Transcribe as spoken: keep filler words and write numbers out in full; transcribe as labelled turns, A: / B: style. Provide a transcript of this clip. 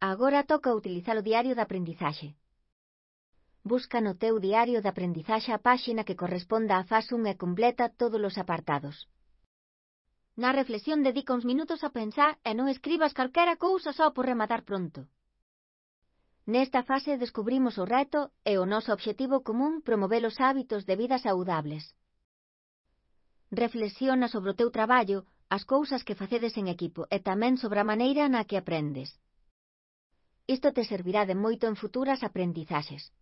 A: Agora toca utilizar o diario de aprendizaxe. Busca no teu diario de aprendizaxe a páxina que corresponda á fase un e completa todos os apartados. Na reflexión dedica uns minutos a pensar e non escribas calquera cousa só por rematar pronto. Nesta fase descubrimos o reto e o noso obxectivo común promover os hábitos de vida saudables. Reflexiona sobre o teu traballo, as cousas que facedes en equipo e tamén sobre a maneira na que aprendes. Isto te servirá de moito en futuras aprendizaxes.